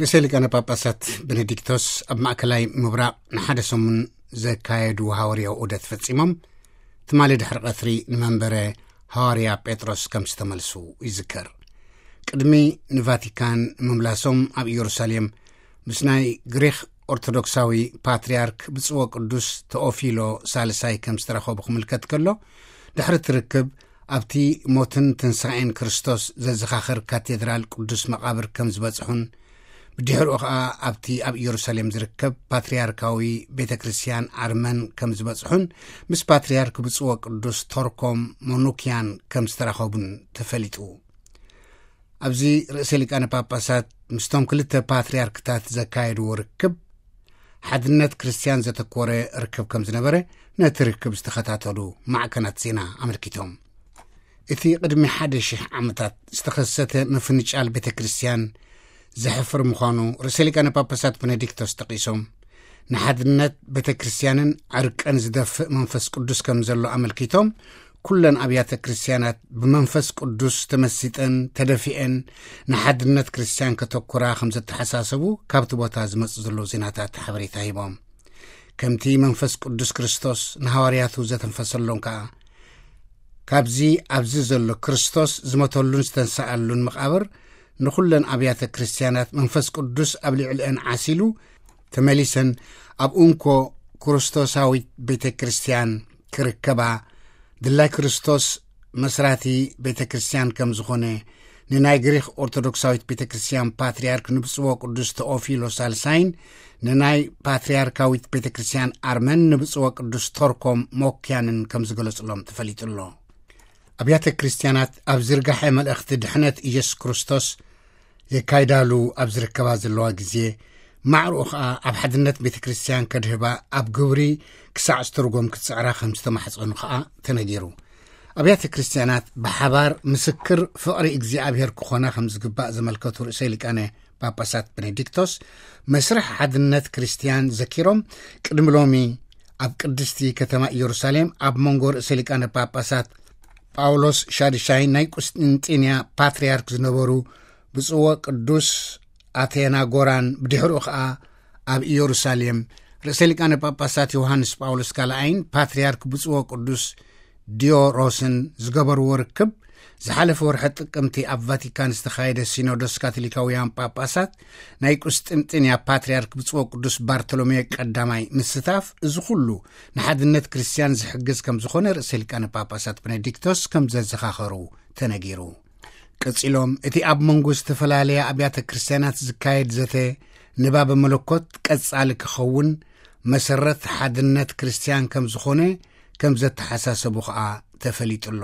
ርእሰ ሊቃነ ጳጳሳት ቤኔዲክቶስ ኣብ ማእከላይ ምብራቕ ንሓደ ሰሙን ዘካየዱ ሃዋርያዊ ዑደት ፈጺሞም፣ ትማሊ ድሕሪ ቀትሪ ንመንበረ ሃዋርያ ጴጥሮስ ከም ዝተመልሱ ይዝከር። ቅድሚ ንቫቲካን ምምላሶም ኣብ ኢየሩሳሌም ምስ ናይ ግሪኽ ኦርቶዶክሳዊ ፓትርያርክ ብፁዕ ወቅዱስ ተኦፊሎ ሳልሳይ ከም ዝተረኸቡ ክምልከት ከሎ፣ ድሕሪ እቲ ርክብ ኣብቲ ሞትን ትንሳኤን ክርስቶስ ዘዘኻኽር ካቴድራል ቅዱስ መቓብር ከም ዝበጽሑን፣ ብድሕሪኡ ኸኣ ኣብቲ ኣብ ኢየሩሳሌም ዝርከብ ፓትርያርካዊ ቤተ ክርስቲያን ኣርመን ከም ዝበጽሑን፣ ምስ ፓትርያርክ ብፁዕ ወቅዱስ ቶርኮም ሞኑኪያን ከም ዝተራኸቡን ተፈሊጡ። ኣብዚ ርእሰ ሊቃነ ጳጳሳት ምስቶም ክልተ ፓትርያርክታት ዘካየድዎ ርክብ፣ ሓድነት ክርስቲያን ዘተኮረ ርክብ ከም ዝነበረ ነቲ ርክብ ዝተኸታተሉ ማዕከናት ዜና ኣመልኪቶም። እቲ ቅድሚ ሓደ ሽሕ ዓመታት ዝተኸሰተ ምፍንጫል ቤተ ክርስቲያን ዘሕፍር ምዃኑ ርእሰ ሊቃነ ጳጳሳት ቤኔዲክቶስ ጠቒሶም፣ ንሓድነት ቤተ ክርስቲያንን ዕርቅን ዝደፍእ መንፈስ ቅዱስ ከም ዘሎ ኣመልኪቶም፣ ኩለን ኣብያተ ክርስቲያናት ብመንፈስ ቅዱስ ተመሲጠን ተደፊአን ንሓድነት ክርስቲያን ከተኩራ ከም ዘተሓሳሰቡ ካብቲ ቦታ ዝመጽእ ዘሎ ዜናታት ሓበሬታ ሂቦም። ከምቲ መንፈስ ቅዱስ ክርስቶስ ንሃዋርያቱ ዘተንፈሰሎም ከኣ፣ ካብዚ ኣብዚ ዘሎ ክርስቶስ ዝሞተሉን ዝተንስኣሉን መቓብር ንኹለን ኣብያተ ክርስቲያናት መንፈስ ቅዱስ ኣብ ልዕሊአን ዓሲሉ፣ ተመሊሰን ኣብ እንኮ ክርስቶሳዊት ቤተ ክርስቲያን ክርከባ፣ ድላይ ክርስቶስ መስራቲ ቤተ ክርስቲያን ከም ዝኾነ፣ ንናይ ግሪኽ ኦርቶዶክሳዊት ቤተ ክርስቲያን ፓትርያርክ ንብፁዕ ወቅዱስ ተኦፊሎ ሳልሳይን፣ ንናይ ፓትርያርካዊት ቤተ ክርስቲያን ኣርመን ንብፁዕ ወቅዱስ ቶርኮም ሞክያንን ከም ዝገለጹሎም ተፈሊጡ ኣሎ። ኣብያተ ክርስቲያናት ኣብ ዝርጋሐ መልእኽቲ ድሕነት ኢየሱስ ክርስቶስ የካይዳሉ ኣብ ዝርከባ ዘለዋ ግዜ፣ ማዕርኡ ኸኣ ኣብ ሓድነት ቤተ ክርስቲያን ከድህባ ኣብ ግብሪ ክሳዕ ዝትርጎም ክትጽዕራ ከም ዝተማሕጸኑ ኸኣ ተነጊሩ። ኣብያተ ክርስቲያናት ብሓባር ምስክር ፍቕሪ እግዚኣብሔር ክኾና ከም ዝግባእ ዘመልከቱ ርእሰ ሊቃነ ጳጳሳት ቤኔዲክቶስ፣ መስርሕ ሓድነት ክርስቲያን ዘኪሮም፣ ቅድሚ ሎሚ ኣብ ቅድስቲ ከተማ ኢየሩሳሌም ኣብ መንጎ ርእሰ ሊቃነ ጳጳሳት ጳውሎስ ሻድሻይ ናይ ቁስጥንጢንያ ፓትርያርክ ዝነበሩ ብፁዕ ቅዱስ ኣቴናጎራን፣ ብድሕሪኡ ኸኣ ኣብ ኢየሩሳሌም ርእሰ ሊቃነ ጳጳሳት ዮሃንስ ጳውሎስ ካልኣይን ፓትርያርክ ብፁዕ ቅዱስ ዲዮሮስን ዝገበርዎ ርክብ፣ ዝሓለፈ ወርሒ ጥቅምቲ ኣብ ቫቲካን ዝተኻየደ ሲኖዶስ ካቶሊካውያን ጳጳሳት ናይ ቁስጥንጥንያ ፓትርያርክ ብፁዕ ቅዱስ ባርቶሎሜ ቀዳማይ ምስታፍ፣ እዚ ኩሉ ንሓድነት ክርስቲያን ዝሕግዝ ከም ዝኾነ ርእሰ ሊቃነ ጳጳሳት ቤኔዲክቶስ ከም ዘዘኻኸሩ ተነጊሩ። ቀጺሎም፣ እቲ ኣብ መንጎ ዝተፈላለያ ኣብያተ ክርስቲያናት ዝካየድ ዘተ ንባበ መለኮት ቀጻሊ ክኸውን መሰረት ሓድነት ክርስቲያን ከም ዝኾነ ከም ዘተሓሳሰቡ ኸኣ ተፈሊጡ ኣሎ።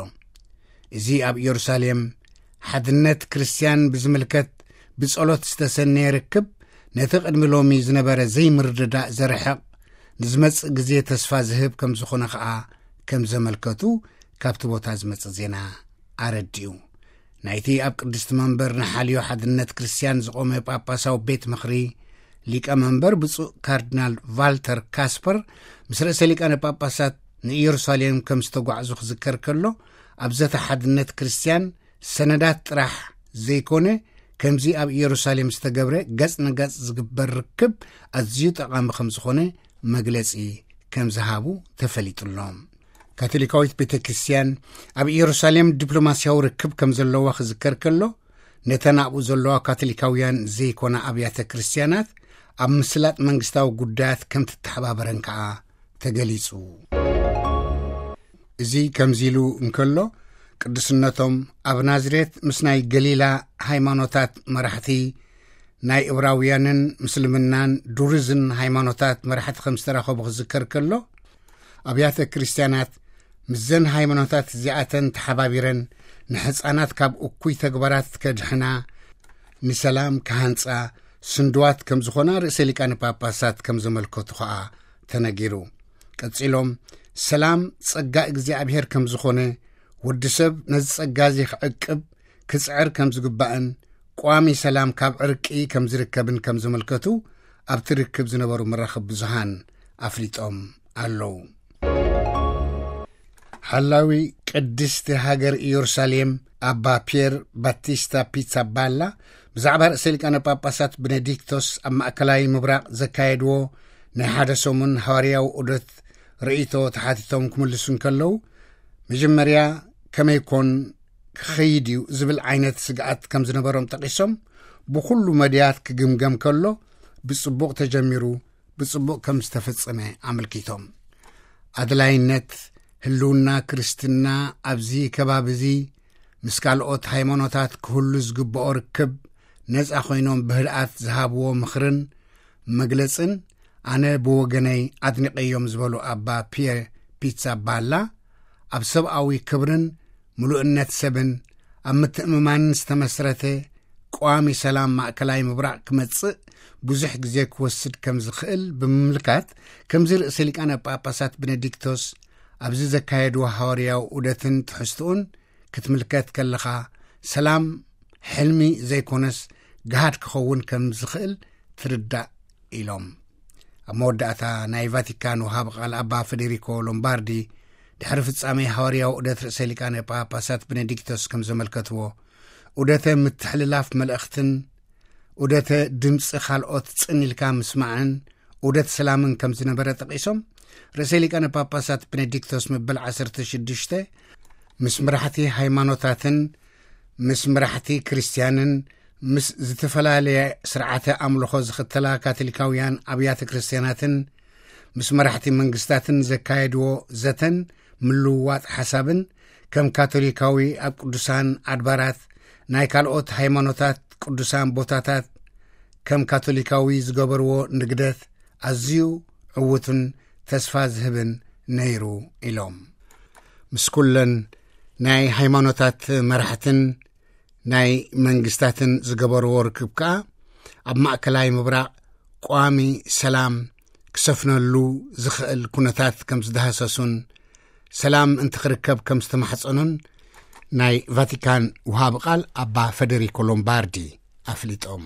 እዚ ኣብ ኢየሩሳሌም ሓድነት ክርስቲያን ብዝምልከት ብጸሎት ዝተሰነየ ርክብ፣ ነቲ ቅድሚ ሎሚ ዝነበረ ዘይምርድዳእ ዘርሕቕ፣ ንዝመጽእ ግዜ ተስፋ ዝህብ ከም ዝኾነ ኸኣ ከም ዘመልከቱ ካብቲ ቦታ ዝመጽእ ዜና ኣረዲኡ። ናይቲ ኣብ ቅድስቲ መንበር ንሓልዮ ሓድነት ክርስቲያን ዝቖመ ጳጳሳዊ ቤት ምኽሪ ሊቀ መንበር ብፁዕ ካርዲናል ቫልተር ካስፐር ምስ ርእሰ ሊቃነ ጳጳሳት ንኢየሩሳሌም ከም ዝተጓዕዙ ክዝከር ከሎ፣ ኣብ ዘተ ሓድነት ክርስቲያን ሰነዳት ጥራሕ ዘይኮነ፣ ከምዚ ኣብ ኢየሩሳሌም ዝተገብረ ገጽ ንገጽ ዝግበር ርክብ ኣዝዩ ጠቓሚ ከም ዝኾነ መግለጺ ከም ዝሃቡ ተፈሊጡ ኣሎ። ካቶሊካዊት ቤተ ክርስቲያን ኣብ ኢየሩሳሌም ዲፕሎማስያዊ ርክብ ከም ዘለዋ ክዝከር ከሎ፣ ነተን ኣብኡ ዘለዋ ካቶሊካውያን ዘይኮና ኣብያተ ክርስቲያናት ኣብ ምስላጥ መንግስታዊ ጉዳያት ከም ትተሓባበረን ከኣ ተገሊጹ። እዚ ከምዚ ኢሉ እንከሎ፣ ቅዱስነቶም ኣብ ናዝሬት ምስ ናይ ገሊላ ሃይማኖታት መራሕቲ፣ ናይ እብራውያንን ምስልምናን ዱርዝን ሃይማኖታት መራሕቲ ከም ዝተራኸቡ ክዝከር ከሎ፣ ኣብያተ ክርስቲያናት ምስዘን ሃይማኖታት እዚኣተን ተሓባቢረን ንሕፃናት ካብ እኩይ ተግባራት ከድሕና፣ ንሰላም ክሃንጻ ስንድዋት ከም ዝኾና ርእሰ ሊቃነ ጳጳሳት ከም ዘመልከቱ ኸኣ ተነጊሩ። ቀጺሎም፣ ሰላም ጸጋ እግዚኣብሔር ከም ዝኾነ፣ ወዲ ሰብ ነዚ ጸጋ እዚ ክዕቅብ ክጽዕር ከም ዝግባእን፣ ቋሚ ሰላም ካብ ዕርቂ ከም ዝርከብን ከም ዘመልከቱ ኣብቲ ርክብ ዝነበሩ መራኸቢ ብዙሃን ኣፍሊጦም ኣለዉ። ሓላዊ ቅድስቲ ሃገር ኢየሩሳሌም ኣባ ፒየር ባቲስታ ፒትሳባላ ብዛዕባ ርእሰ ሊቃነ ጳጳሳት ቤኔዲክቶስ ኣብ ማእከላይ ምብራቕ ዘካየድዎ ናይ ሓደ ሰሙን ሃዋርያዊ ዑደት ርእይቶ ተሓቲቶም ክምልሱ እንከለዉ፣ መጀመርያ ከመይ ኮን ክኸይድ እዩ ዝብል ዓይነት ስግኣት ከም ዝነበሮም ጠቒሶም፣ ብኹሉ መድያት ክግምገም ከሎ ብጽቡቕ ተጀሚሩ፣ ብጽቡቕ ከም ዝተፈጸመ ኣመልኪቶም። ኣድላይነት ህልውና ክርስትና ኣብዚ ከባቢ እዚ ምስ ካልኦት ሃይማኖታት ክህሉ ዝግብኦ ርክብ ነጻ ኮይኖም ብህድኣት ዝሃብዎ ምኽርን መግለጽን ኣነ ብወገነይ ኣድኒቐዮም ዝበሉ ኣባ ፒየ ፒትሳባላ፣ ኣብ ሰብኣዊ ክብርን ምሉእነት ሰብን ኣብ ምትእምማንን ዝተመስረተ ቀዋሚ ሰላም ማእከላይ ምብራቕ ክመጽእ ብዙሕ ግዜ ክወስድ ከም ዝኽእል ብምምልካት፣ ከምዚ ርእሰ ሊቃነ ጳጳሳት ቤኔዲክቶስ ኣብዚ ዘካየድዎ ሃዋርያዊ ዑደትን ትሕዝትኡን ክትምልከት ከለኻ፣ ሰላም ሕልሚ ዘይኮነስ፣ ግሃድ ክኸውን ከም ዝኽእል ትርዳእ ኢሎም። ኣብ መወዳእታ ናይ ቫቲካን ወሃቢ ቃል ኣባ ፈዴሪኮ ሎምባርዲ፣ ድሕሪ ፍጻሜ ሃዋርያዊ ዑደት ርእሰ ሊቃነ ጳጳሳት ቤኔዲክቶስ ከም ዘመልከትዎ፣ ዑደተ ምትሕልላፍ መልእኽትን ዑደተ ድምፂ ካልኦት ጽን ኢልካ ምስማዕን ዑደት ሰላምን ከም ዝነበረ ጠቒሶም፣ ርእሰ ሊቃነ ጳጳሳት ቤኔዲክቶስ መበል ዓሰርተ ሽዱሽተ ምስ መራሕቲ ሃይማኖታትን ምስ መራሕቲ ክርስትያንን ምስ ዝተፈላለየ ስርዓተ ኣምልኾ ዝኽተላ ካቶሊካውያን ኣብያተ ክርስትያናትን ምስ መራሕቲ መንግስታትን ዘካየድዎ ዘተን ምልውዋጥ ሓሳብን፣ ከም ካቶሊካዊ ኣብ ቅዱሳን ኣድባራት ናይ ካልኦት ሃይማኖታት ቅዱሳን ቦታታት ከም ካቶሊካዊ ዝገበርዎ ንግደት ኣዝዩ ዕዉትን ተስፋ ዝህብን ነይሩ ኢሎም። ምስ ኩለን ናይ ሃይማኖታት መራሕትን ናይ መንግስታትን ዝገበርዎ ርክብ ከኣ ኣብ ማእከላይ ምብራቕ ቋሚ ሰላም ክሰፍነሉ ዝኽእል ኩነታት ከም ዝደሃሰሱን ሰላም እንትኽርከብ ከም ዝተማሕጸኑን ናይ ቫቲካን ውሃቢ ቃል ኣባ ፈደሪኮ ሎምባርዲ ኣፍሊጦም።